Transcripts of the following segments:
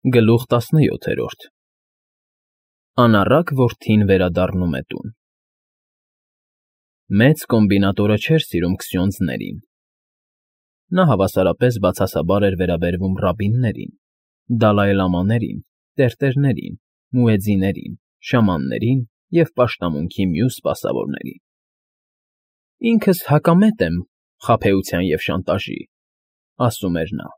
Գլուխ 17 Անառակ որդին վերադառնում է տուն։ Մեծ կոմբինատորը չէր սիրում քսյոնձներին։ Նա հավասարապես բացասաբար էր վերաբերվում ռաբբիններին, դալայլամաներին, տերտերներին, մուեձզիներին, շամաններին և պաշտամունքի մյուս սպասավորներին։ «Ինքս հակամետ եմ խաբեության և շանտաժի,֊ ասում էր նա։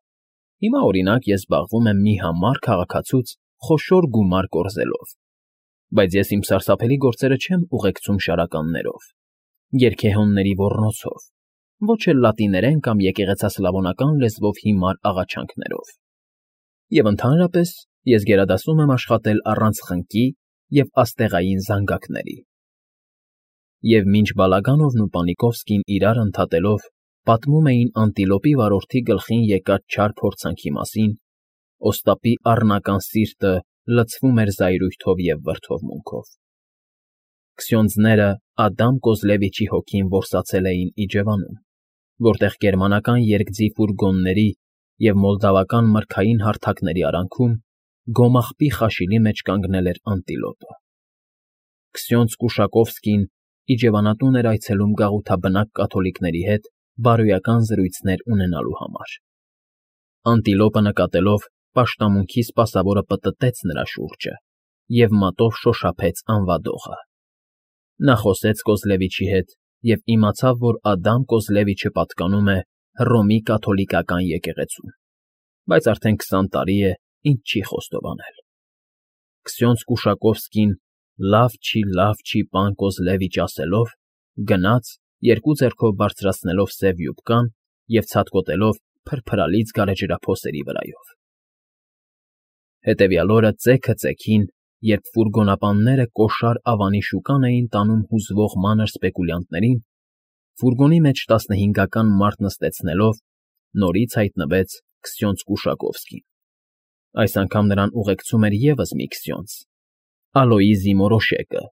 Հիմա, օրինակ, ես զբաղվում եմ մի համառ քաղաքացուց խոշոր գումար կորզելով, բայց ես իմ սարսափելի գործերը չեմ ուղեկցում շարականներով, երգեհոնների ոռնոցով, ոչ էլ լատիներեն կամ եկեղեցասլավոնական լեզվով հիմար աղաչանքներով։ Եվ ընդհանրապես ես գերադասում եմ աշխատել առանց խնկի և աստեղային զանգակների»։ Եվ մինչ Բալագանովն ու Պանիկովսկին իրար ընդհատելով պատմում էին անտիլոպի վարորդի գլխին եկած չար փորձանքի մասին, Օստապի առնական սիրտը լցվում էր զայրույթով և վրդովմունքով։ Քսյոնձները Ադամ Կոզլևիչի հոգին որսացել էին իջևանում, որտեղ գերմանական երկձի ֆուրգոնների և մոլդավական մրգային հարթակների արանքում գոմաղբի խաշիլի մեջ կանգնել էր անտիլոպը։ Քսյոնձ Կուշակովսկին իջևանատուն էր այցելում գաղութաբնակ կաթոլիկների հետ բարոյական զրույցներ ունենալու համար։ Անտիլոպը նկատելով, պաշտամունքի սպասավորը պտտեց նրա շուրջը և մատով շոշափեց անվադողը։ Նա խոսեց Կոզլևիչի հետ և իմացավ, որ Ադամ Կոզլևիչը պատկանում է Հռոմի կաթոլիկական եկեղեցուն, բայց արդեն 20 տարի է, ինչ չի խոստովանել։ Քսյոնձ Կուշակովսկին լավ չի, պան Կոզլևիչ ասելով, գնաց, երկու ձեռքով բարձրացնելով սև յուբկան և ցատկոտելով փրփրալից գարեջրափոսերի վրայով։ Հետևյալ օրը ծեքը ծեքին, երբ ֆուրգոնապանները կոշար ավանի շուկան էին տանում հուզվող մանր սպեկուլյանտներին, ֆուրգոնի մեջ 15-ական մարդ նստեցնելով, նորից հայտնվեց քսյոնձ Կուշակովսկին։ Այս անգամ նրան ուղեկցում էր ևս մի քսյոնձ՝ Ալոիզի Մորոշեկը։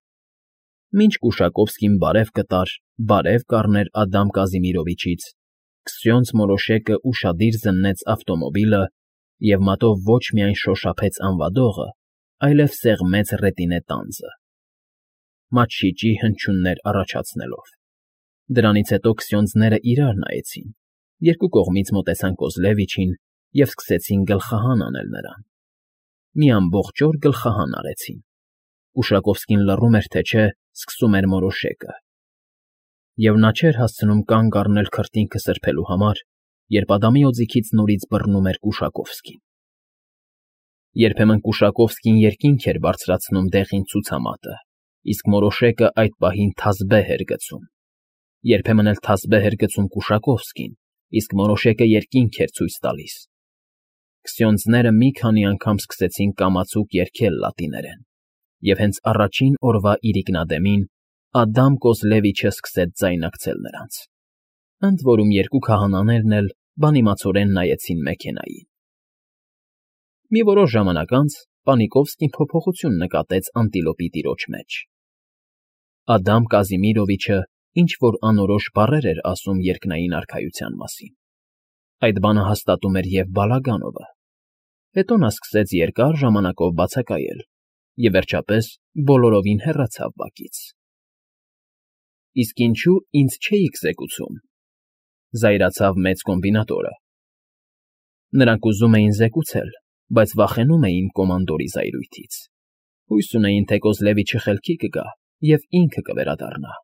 Մինչ Կուշակովսկին բարև կտար, բարև կառներ Ադամ Կազիմիրովիչից, քսյոնձ Մորոշեկը ուշադիր զննեց ավտոմոբիլը և մատով ոչ միայն շոշափեց անվադողը, այլև սեղմեց ռետինե տանձը, մատչիճի հնչյուններ առաջացնելով։ Դրանից հետո քսյոնձները իրար նայեցին, երկու կողմից մոտեցան Կոզլևիչին և սկսեցին գլխահան անել նրան։ Մի ամբողջ օր գլխահան արեցին։ Կուշակովսկին լռում էր, թե չէ սկսում էր Մորոշեկը։ Եվ նա չէր հասցնում կանգ առնել քրտինքը սրբելու համար, երբ Ադամի օձիքից նորից բռնում էր Կուշակովսկին։ Երբեմն Կուշակովսկին երկինք էր բարձրացնում դեղին ցուցամատը, իսկ Մորոշեկը այդ պահին թազբեհ էր գցում։ Երբեմն էլ թազբեհ էր գցում Կուշակովսկին, իսկ Մորոշեկը երկինք էր ցույց տալիս։ Քսյոնձները մի քանի անգամ սկսեցին կամացուկ երգել լատիներեն, և հենց առաջին օրվա իրիկնադեմին Ադամ Կոզլևիչը սկսեց ձայնարկել նրանց։ Ընդ որում երկու քահանաներն էլ բանիմացորեն նայեցին մեքենային։ Մի որոշ ժամանակ անց Պանիկովսկին փոփոխություն նկատեց անտիլոպի տիրոջ մեջ։ Ադամ Կազիմիրովիչը ինչ֊որ անորոշ բառեր էր ասում երկնային արքայության մասին։ Այդ բանը հաստատում էր և Բալագանովը։ Հետո նա սկսեց երկար ժամանակով բացակայել և, վերջապես, բոլորովին հեռացավ բակից։ «Իսկ ինչո՞ւ ինձ չէիք զեկուցում,֊ զայրացավ մեծ կոմբինատորը։ Նրանք ուզում էին զեկուցել, բայց վախենում էին կոմանդորի զայրույթից։ Հույս ունեին, թե Կոզլևիչը խելքի կգա և ինքը կվերադառնա,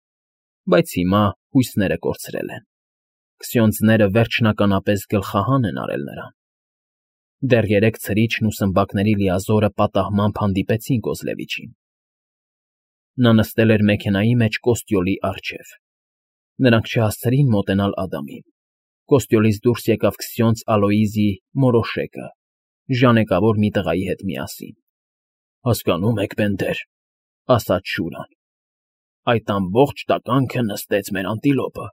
բայց հիմա հույսները կորցրել են։ Քսյոնձները վերջնականապես գլխահան են արել նրան։ Դեռ երեկ ցրիչն ու սմբակների լիազորը պատահմամբ հանդիպեցին Կոզլևիչին։ Նա նստել էր մեքենայի մեջ կոստյոլի առջև։ Նրանք չհասցրին մոտենալ Ադամին։ Կոստյոլից դուրս եկավ քսյոնձ Ալոիզի Մորոշեկը, ժանեկավոր մի տղայի հետ միասին։ «Հասկանո՞ւմ եք, բենդեր,֊ ասաց Շուրան,֊ այդ ամբողջ տականքը նստեց մեր անտիլոպը։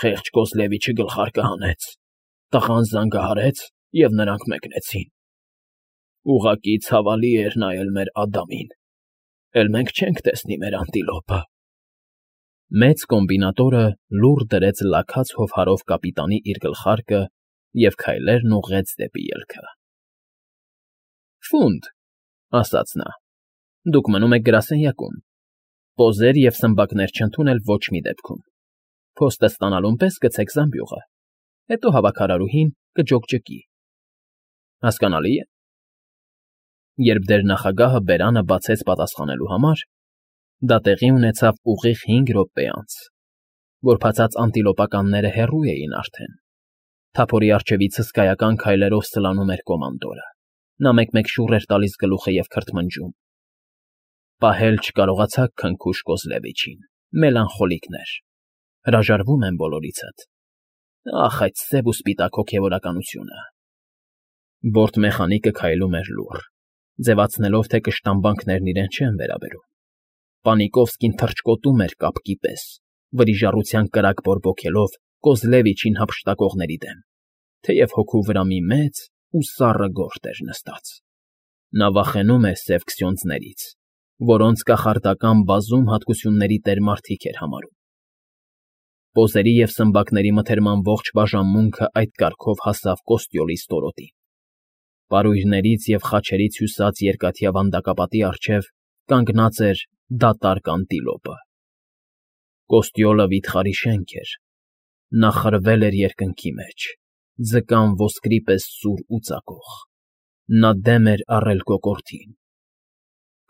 Խեղճ Կոզլևիչը գլխարկը հանեց, տղան զանգահարեց, և նրանք մեկնեցին։ Ուղղակի ցավալի էր նայել մեր Ադամին, էլ մենք չենք տեսնի մեր անտիլոպը»։ Մեծ կոմբինատորը լուռ դրեց լաքած հովհարով կապիտանի իր գլխարկը և քայլերն ուղղեց դեպի ելքը։ Ֆունդ, ասաց նա, դուք մնում եք գրասենյակում, պոզեր և սմբակներ չընդունել ոչ մի դեպքում, փոստը ստանալուն պես գցեք զամբյուղը, հետո հավաքարարուհին կջոկջկի, հասկանալի՞ է։ Երբ դերնախագահը բերանը բացեց պատասխանելու համար, դա տեղի ունեցավ ուղիղ 5 րոպե անց, որբացած անտիլոպականները հեռու էին արդեն, թափորի առջևից հսկայական քայլերով սլանում էր կոմանդորը, նա մեկ-մեկ շուռ էր տալիս գլուխը և քրթմնջում. «Պահել չկարողացաք քնքուշ Կոզլևիչին, մելանխոլիկներ, հրաժարվում եմ բոլորիցդ, ախ, այդ սև ու սպիտակ հոգևորականությունը»։ Բորտ մեխանիկը քայլում էր լուռ, ձևացնելով, թե կշտամբանքներն իրեն չեն վերաբերում։ Պանիկովսկին թռչկոտում էր կապկի պես, վրիժառության կրակ բորբոքելով Կոզլևիչին հափշտակողների դեմ, թեև հոգու վրա մի մեծ ու սառը գորտ էր նստած։ Նա վախենում էր սև քսյոնձներից, որոնց կախարդական բազում հատկությունների տեր մարդիկ էր համարում։ Պոզերի և սմբակների մթերման ողջ բաժանմունքը այդ կարգով հասավ Կոստյոլի ստորոտին։ Պարույրներից և խաչերից հյուսած երկաթյա վանդակապատի առջև կանգնած էր դատարկ անտիլոպը։ Կոստյոլը վիթխարի շենք էր, նա խրվել էր երկնքի մեջ, ձկան ոսկրի պես սուր ու ծակող, նա դեմ էր առել կոկորդին,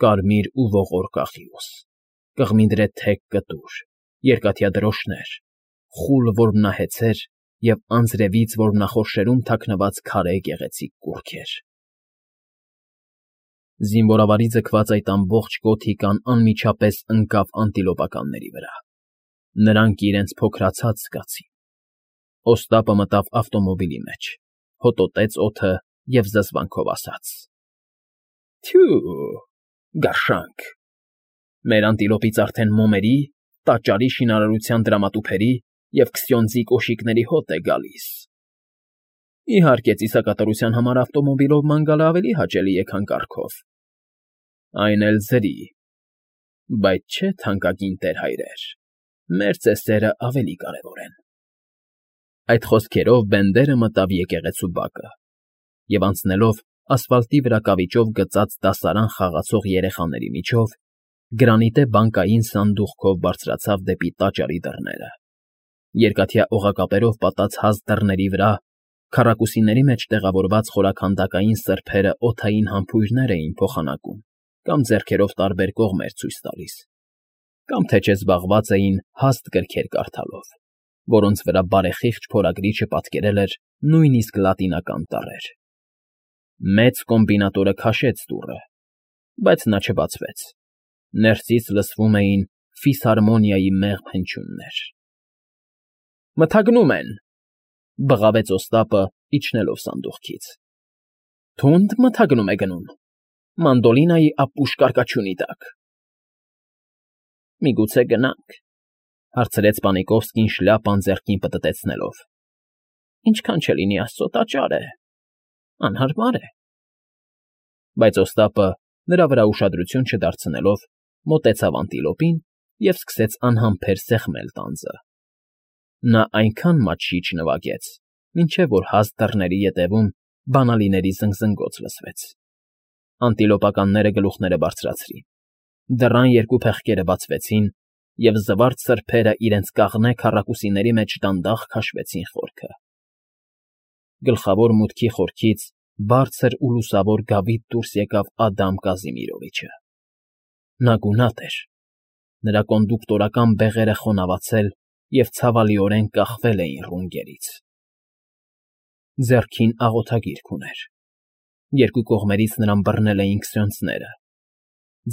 կարմիր ու ողորկ աղյուս, կղմինդրե թեք կտուր, երկաթյա դրոշներ, խուլ որմնահեծեր և անձրևից որմնախորշերում թաքնված քարե գեղեցիկ կուռքեր։ Զինվորավարի ձգված այդ ամբողջ գոթիկան անմիջապես ընկավ անտիլոպականների վրա, նրանք իրենց փոքրացած զգացին։ Օստապը մտավ ավտոմոբիլի մեջ, հոտոտեց օդը և զզվանքով ասաց. «Թյո՛ւ, գարշանք, մեր անտիլոպից արդեն մոմերի, տաճարի շինարարության դրամատուփերի և քսյոնձի կոշիկների հոտ է գալիս։ Իհարկե, ծիսակատարության համար ավտոմոբիլով ման գալը ավելի հաճելի է, քան կառքով, այն էլ ձրի, բայց չէ, թանկագին տեր֊հայրեր, մեր ծեսերը ավելի կարևոր են»։ Այդ խոսքերով Բենդերը մտավ եկեղեցու բակը և, անցնելով ասֆալտի վրա կավիճով գծած դասարան խաղացող երեխաների միջով, գրանիտե բանկային սանդուղքով բարձրացավ դեպի տաճարի դռները։ Երկաթյա օղակապերով պատած հաստ դռների վրա քառակուսիների մեջ տեղավորված խորաքանդակային սրբերը օդային համբույրներ էին փոխանակում կամ ձեռքերով տարբեր կողմեր ցույց տալիս, կամ թե չէ զբաղված էին հաստ գրքեր կարդալով, որոնց վրա բարեխիղճ փորագրիչը պատկերել էր նույնիսկ լատինական տառեր։ Մեծ կոմբինատորը քաշեց դուռը, բայց նա չբացվեց, ներսից լսվում էին ֆիսհարմոնիայի մեղմ հնչյուններ։ «Մթագնում են», բղավեց Օստապը, իջնելով սանդուղքից։ «Թունդ մթագնում է գնում, մանդոլինայի ապուշ կարկաչյունի տակ»։ «Միգուցե գնանք», հարցրեց Պանիկովսկին շլյապան ձեռքին պտտեցնելով։ «Ինչքան չլինի Աստծո տաճար է, անհարմար է»։ Բայց Օստապը, նրա վրա ուշադրություն չդարձնելով, մոտեցավ անտիլոպին և սկսեց անհամբեր սեղմել տանձը։ Նա այնքան մատչի չնվագեց, մինչև որ հաստ դռների ետևում բանալիների զնգզնգոց լսվեց։ Անտիլոպականները գլուխները բարձրացրին, դռան երկու փեղկերը բացվեցին, և զվարթ սրբերը իրենց կաղնե քառակուսիների մեջ դանդաղ քաշվեցին խորքը։ Գլխավոր մուտքի խորքից բարձր ու լուսավոր գավիթ դուրս եկավ Ադամ Կազիմիրովիչը։ Նա գունատ էր, նրա կոնդուկտորական բեղերը խոնավացել և ցավալիորեն կախվել էին ռունգներից։ Ձեռքին աղոթագիրք ուներ։ Երկու կողմերից նրան բռնել էին քսյոնձները,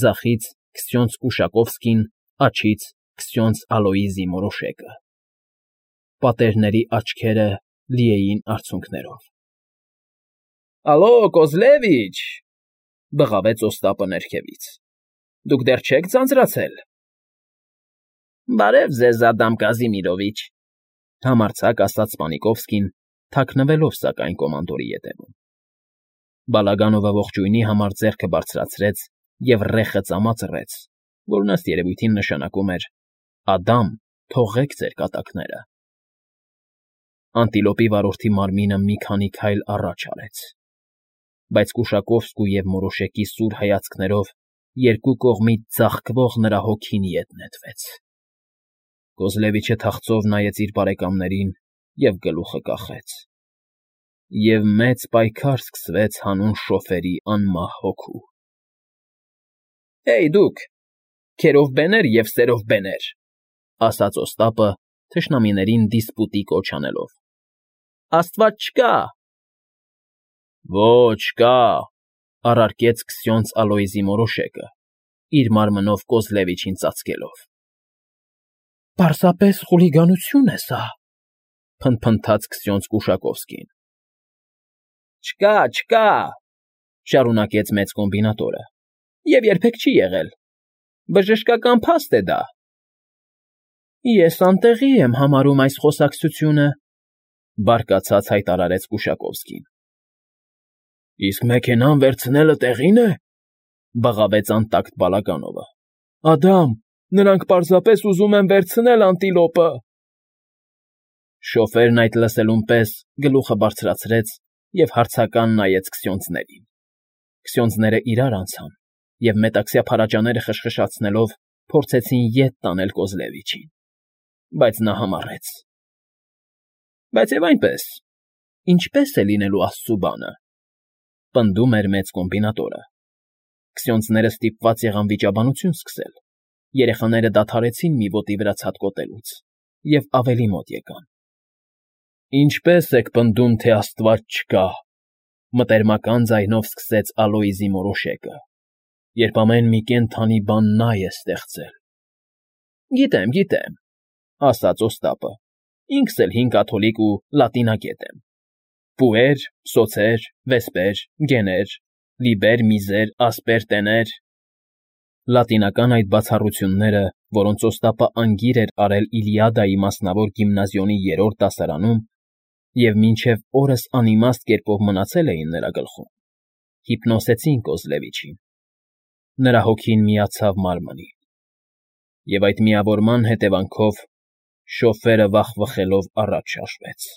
ձախից քսյոնձ Ուշակովսկին, աջից քսյոնձ Ալոիզի Մորոշեկը։ Պատերների աչքերը լի էին արցունքներով։ «Ալո, Կոզլևիչ», բղավեց Օստապը ներքևից, «դուք դեռ չեք ձանձրացել»։ «Բարև ձեզ, Ադամ Կազիմիրովիչ», համարձակ ասաց Պանիկովսկին, թաքնվելով, սակայն, կոմանդորի ետևում։ Բալագանովը ողջույնի համար ձեռքը բարձրացրեց և ռեխը ծամացրեց, որն ըստ երևույթին նշանակում էր. «Ադամ, թողեք ձեր կատակները»։ Անտիլոպի վարորդի մարմինը մի քանի քայլ առաջ արեց։ Բայց Կուշակովսկու և Մորոշեկի սուր հայացքներով երկու կողմից ձաղկվող նրա հոգին ետ նետվեց։ Կոզլևիչը թախծով նայեց իր բարեկամներին և գլուխը կախեց։ Եվ մեծ պայքար սկսվեց հանուն շոֆերի անմահ հոգու։ «Հեյ, դուք, քերով բեներ և սերով բեներ,֊ ասաց Օստապը, թշնամիներին դիսպուտի կոչ անելով,֊ աստված չկա»։ «Ոչ, կա,֊ առարկեց Քսյոնց Ալոյզի Մորոշեկը, իր մարմնով Կոզլևիչին ծածկելով։ «Պարզապես խուլիգանություն է սա,֊ փնթփնթաց Քսյոնց Կուշակովսկին։ «Չկա, չկա,֊ շարունակեց մեծ կոմբինատորը,֊ և երբեք չի եղել։ Բժշկական փաստ է դա»։ «Ես անտեղի եմ համարում այս խոսակցությունը,֊ բարկացած հայտարարեց Կուշակովսկին։ «Իսկ մեքենան վերցնելը տեղի՞ն է,֊ բղավեց անտակտ Բալագանովը։ Ադամ, նրանք պարզապես ուզում են վերցնել անտիլոպը»։ Շոֆերն այդ լսելուն պես գլուխը բարձրացրեց և հարցական նայեց քսյոնձներին։ Քսյոնձները իրար անցան և մետաքսյա փարաջաները խշխշացնելով փորձեցին ետ տանել Կոզլևիչին, բայց նա համառեց. «Բայց և այնպես, ինչպե՞ս է լինելու աստծու բանը,֊ պնդում էր մեծ կոմբինատորը։ Քսյոնձները ստիպված եղան վիճաբանություն սկսել։ Երեխաները դադարեցին մի ոտի վրա ցատկոտելուց և ավելի մոտ եկան։ «Ինչպե՞ս եք պնդում, թե աստված չկա,֊ մտերմական ձայնով սկսեց Ալոյզի Մորոշեկը,֊ երբ ամեն մի կենդանի բան նա է ստեղծել»։ «Գիտեմ, գիտեմ,֊ ասաց Օստապը,֊ ինքս էլ հին կաթոլիկ ու լատինագետ եմ. պուեր, սոցեր, վեսպեր, գեներ, լիբեր, միզեր, ասպեր, տեներ…» Լատինական այդ բացառությունները, որոնց Օստապը անգիր էր արել Իլիադայի մասնավոր գիմնազիոնի 3-րդ դասարանում և մինչև օրս անիմաստ կերպով մնացել էին նրա գլխում, հիպնոսեցին Կոզլևիչին։ Նրա հոգին միացավ մարմնին, և այդ միավորման հետևանքով շոֆերը վախվխելով առաջ շարժվեց։